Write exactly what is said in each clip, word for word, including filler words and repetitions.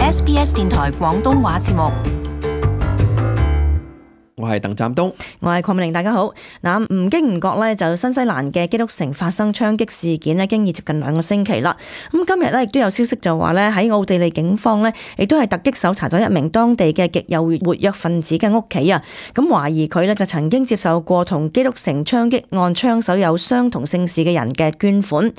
S B S 電台廣東話節目。我係鄧湛東，我係鄺美玲，大家好。嗱，唔經唔覺咧，就新西蘭嘅基督城發生槍擊事件咧，經已接近兩個星期啦。咁今日咧亦都有消息就話咧，喺奧地利警方咧，亦都係突擊搜查咗一名當地嘅極右活躍分子嘅屋企啊。咁懷疑佢咧就曾經接受過同基督城槍擊案槍手有相同姓氏嘅人嘅捐款，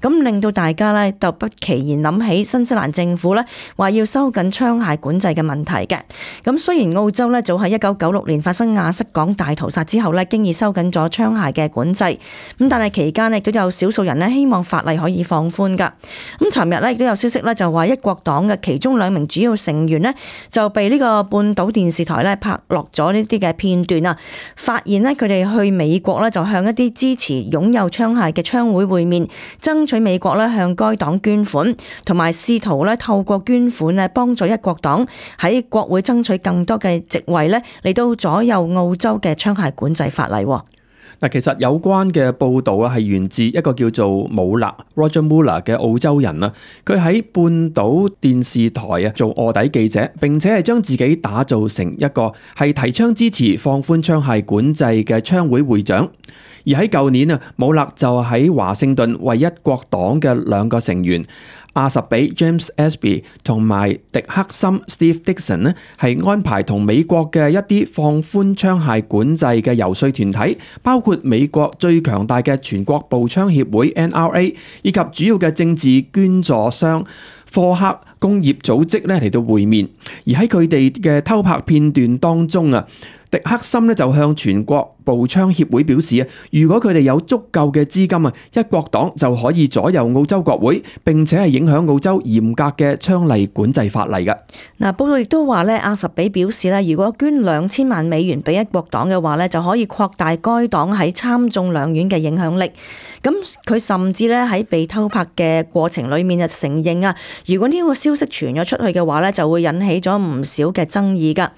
咁令到大家咧就不期然諗起新西蘭政府咧話要收緊槍械管制嘅問題嘅。咁雖然澳洲咧早喺一九九六年發生亞瑟港大屠殺之後咧，經已收緊咗槍械嘅管制，咁但係期間咧亦都有少數人咧希望法例可以放寬噶。咁尋日咧亦都有消息咧就話一國黨嘅其中兩名主要成員咧就被呢個半島電視台咧拍落咗呢啲嘅片段啊，發現咧佢哋去美國咧就向一啲支持擁有槍械嘅槍會會面，爭取美國咧向該黨捐款，同埋試圖咧透過捐款咧幫助一國黨喺國會爭取更多嘅席位咧嚟到左右澳洲嘅槍械管制法例。嗱，其實有關嘅報導啊，係源自一個叫做姆勒 Roger Muller 嘅澳洲人啊，佢喺半島電視台啊做臥底記者，並且係將自己打造成一個係提倡支持放寬槍械管制嘅槍會會長。而喺舊年啊，姆勒就喺華盛頓為一國黨嘅兩個成員阿什比 James Espy 同埋迪克森 Steve Dixon 呢，係安排同美國嘅一啲放寬槍械管制嘅遊說團體，包括美國最強大嘅全國步槍協會 N R A 以及主要嘅政治捐助商科克工業組織咧嚟到會面。而喺佢哋嘅偷拍片段當中啊，迪克森咧就向全國步槍協會表示啊，如果佢哋有足夠嘅資金啊，一國黨就可以左右澳洲國會，並且係影響澳洲嚴格嘅槍例管制法例嘅。嗱，報道亦都話咧，阿什比表示咧，如果捐兩千萬美元俾一國黨嘅話咧，就可以擴大該黨喺參眾兩院嘅影響力。咁佢甚至咧喺被偷拍嘅過程裏面就承認啊，如果呢個消息傳咗出去嘅話咧，就會引起咗唔少嘅爭議噶。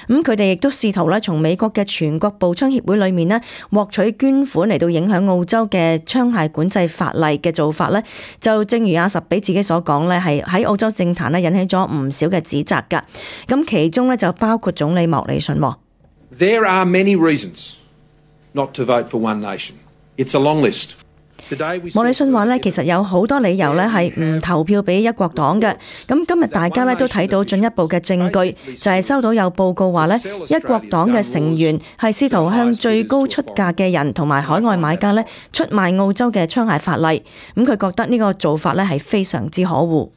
咁佢哋亦都試圖咧從美國嘅全國步槍協會裏面咧獲取捐款嚟到影響澳洲嘅槍械管制法例嘅做法咧，就正如阿什比自己所講咧，係喺澳洲政壇咧引起咗唔少嘅指責噶。咁其中咧就包括總理莫里遜。There are many reasons not to vote for one nation. It's a long list. 莫里遜話咧，其實有好多理由咧係唔投票俾一國黨嘅。咁今日大家咧都睇到進一步嘅證據，就係收到有報告話咧，一國黨嘅成員係試圖向最高出價嘅人同埋海外買家咧出賣澳洲嘅槍械法例。咁佢覺得呢個做法咧係非常之可惡。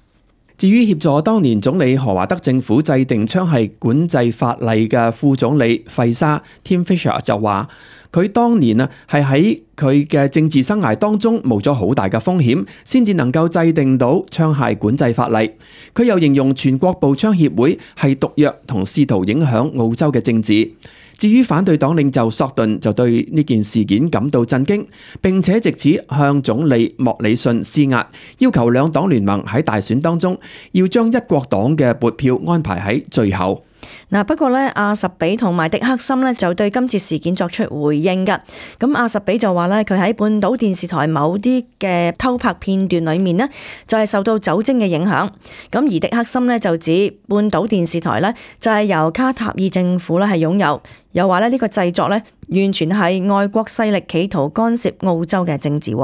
至於協助當年總理何華德政府制定槍械管制法例嘅副總理費沙 Tim Fischer 就話，佢當年啊係喺佢嘅政治生涯當中冒咗好大嘅風險，先至能夠制定到槍械管制法例。佢又形容全國步槍協會係毒藥同試圖影響澳洲嘅政治。至於反對黨領袖索頓就對呢件事件感到震驚，並且藉此向總理莫里遜施壓，要求兩黨聯盟喺大選當中要將一國黨嘅撥票安排喺最後。嗱，不過咧，阿什比同埋迪克森咧就對今次事件作出回應噶。咁阿什比就話咧，佢喺半島電視台某啲嘅偷拍片段裏面呢，就係受到酒精嘅影響。咁而迪克森咧就指半島電視台咧就係由卡塔爾政府咧係擁有，又話咧呢個製作咧完全係外國勢力企圖干涉澳洲嘅政治。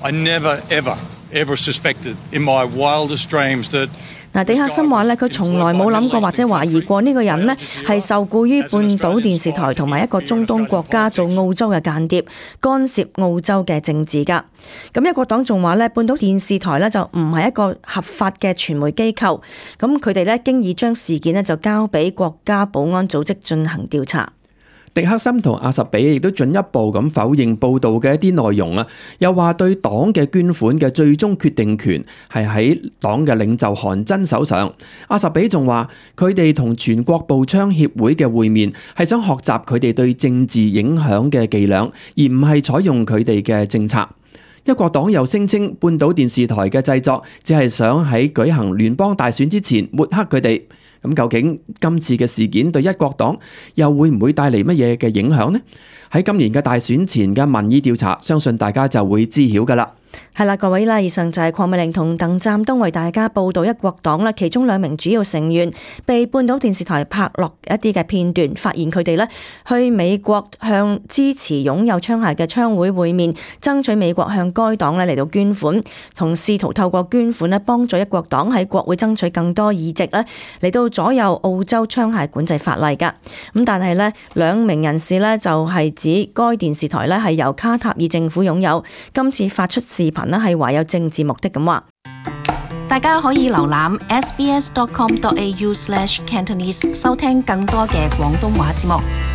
I never ever ever suspected in my wildest dreams that嗱，迪克森話咧，佢從來冇諗過或者懷疑過呢個人呢係受雇於半島電視台同埋一個中東國家做澳洲嘅間諜，干涉澳洲嘅政治噶。咁一國黨仲話咧，半島電視台咧就唔係一個合法嘅傳媒機構，咁佢哋咧經已將事件咧就交俾國家保安組織進行調查。迪克森同阿什比亦都進一步咁否認報道嘅一啲內容啊，又話對黨嘅捐款嘅最終決定權係喺黨嘅領袖韓真手上。阿什比仲話佢哋同全國步槍協會嘅會面係想學習佢哋對政治影響嘅伎倆，而唔係採用佢哋嘅政策。一國黨又聲稱半島電視台嘅製作只係想喺舉行聯邦大選之前抹黑佢哋。咁究竟今次嘅事件對一國黨又會唔會帶嚟乜嘢嘅影響呢？喺今年嘅大選前嘅民意調查，相信大家就會知曉㗎喇。係啦，各位啦，以上就係鄺美玲同鄧湛東為大家報道一國黨啦，其中兩名主要成員被半島電視台拍落一啲嘅片段，發現佢哋咧去美國向支持擁有槍械嘅槍會會面，爭取美國向該黨咧嚟到捐款，同試圖透過捐款咧幫助一國黨喺國會爭取更多議席咧嚟到左右澳洲槍械管制法例噶。咁但係咧兩名人士咧就係指該電視台咧係由卡塔爾政府擁有，今次發出視頻咧係懷有政治目的咁話。大家可以瀏覽 s b s dot com dot a u slash cantonese 收聽更多嘅廣東話節目。